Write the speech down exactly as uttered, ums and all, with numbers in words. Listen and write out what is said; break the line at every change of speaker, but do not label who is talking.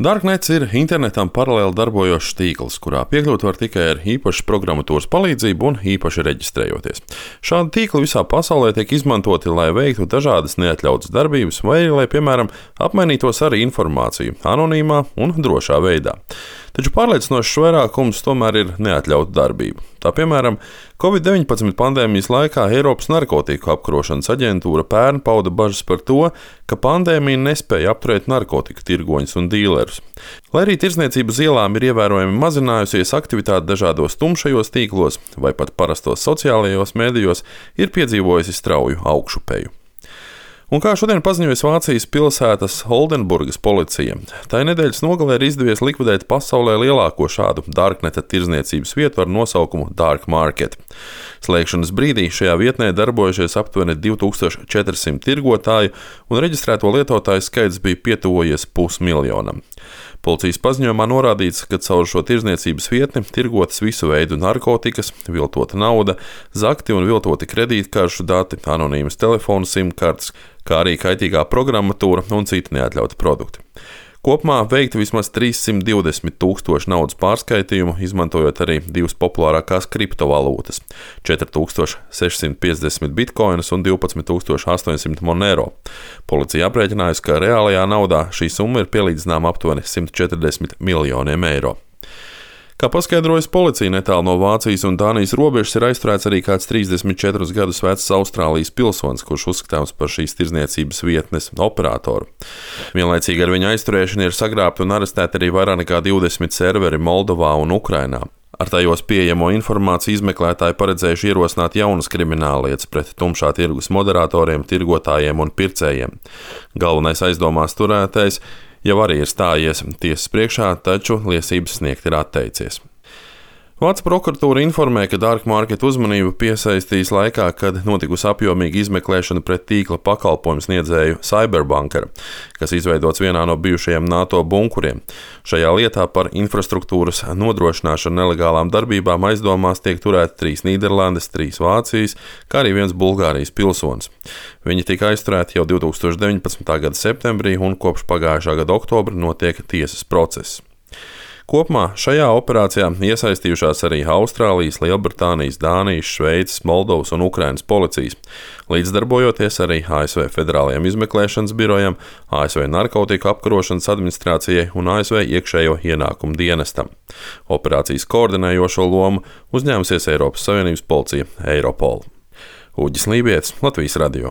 Darknets ir internetam paralēli darbojošs tīkls, kurā piekļūt var tikai ar īpašas programmatūras palīdzību un īpaši reģistrējoties. Šādi tīkli visā pasaulē tiek izmantoti, lai veiktu dažādas neatļautas darbības, vai arī, lai, piemēram, apmainītos ar informāciju anonīmā un drošā veidā. Taču pārliecinošs vairākums tomēr ir neatļauta darbība. Tā piemēram, covid deviņpadsmit pandēmijas laikā Eiropas narkotiku apkarošanas aģentūra pērn pauda bažas par to, ka pandēmija nespēja apturēt narkotiku tirgoņus un dīlerus. Lai arī tirdzniecība uz ielām ir ievērojami mazinājusies, aktivitāte dažādos tumšajos tīklos vai pat parastos sociālajos mēdījos ir piedzīvojusi strauju augšupeju. Un kā šodien paziņoja Vācijas pilsētas Oldenburgas policija, tai nedēļas nogalē ir izdevies likvidēt pasaulē lielāko šādu darkneta tirdzniecības vietu ar nosaukumu Dark Market. Slēgšanas brīdī šajā vietnē darbojušies aptuveni divi tūkstoši četri simti tirgotāju, un reģistrēto lietotāju skaits bija pietuvojies pusmiljonam. Policijas paziņojumā norādīts, ka caur šo tirdzniecības vietni tirgotas visu veidu narkotikas, viltota nauda, zakti un viltoti kredītkaršu dati, anonīmas telefonu simkartes, kā arī kaitīgā programmatūra un citi neatļauti produkti. Kopumā veikti vismaz trīssimt divdesmit tūkstoši naudas pārskaitījumu, izmantojot arī divas populārākās kriptovalūtas - četri tūkstoši sešsimt piecdesmit bitkoinus un divpadsmit tūkstoši astoņsimt monero. Policija aprēķinājusi, ka reālajā naudā šī summa ir pielīdzināma aptuveni simt četrdesmit miljoniem eiro. Kā paskaidrojas policija, netālu no Vācijas un Dānijas robežas ir aizturēts arī kāds trīsdesmit četrus gadus vecs Austrālijas pilsonis, kurš uzskatāms par šīs tirdzniecības vietnes operatoru. Vienlaicīgi ar viņa aizturēšanu ir sagrābti un arestēti arī vairāk nekā divdesmit serveri Moldovā un Ukrainā. Ar tajos pieejamo informāciju izmeklētāji paredzējuši ierosināt jaunas krimināllietas pret tumšā tirgus moderatoriem, tirgotājiem un pircējiem. Galvenais aizdomās turētais jau arī ir stājies tiesas priekšā, taču liecības sniegt ir atteicies. Vācu prokuratūra informē, ka Dark Market uzmanību piesaistīs laikā, kad notikusi apjomīga izmeklēšana pret tīkla pakalpojumu sniedzēju Cyberbunkera, kas izveidots vienā no bijušajiem NATO bunkuriem. Šajā lietā par infrastruktūras nodrošināšanu nelegālām darbībām aizdomās tiek turēti trīs Nīderlandes, trīs Vācijas, kā arī viens Bulgārijas pilsonis. Viņi tika aizturēti jau divi tūkstoši deviņpadsmitā gada septembrī un kopš pagājušā gada oktobra notiek tiesas process. Kopumā šajā operācijā iesaistījušās arī Austrālijas, Lielbritānijas, Dānijas, Šveices, Moldovas un Ukrainas policijas, līdzdarbojoties arī A S V Federālajiem izmeklēšanas birojam, A S V Narkotiku apkarošanas administrācijai un A S V iekšējo ienākumu dienestam. Operācijas koordinējošo lomu uzņēmusies Eiropas Savienības policija Eiropol. Uģis Lībietis, Latvijas radio.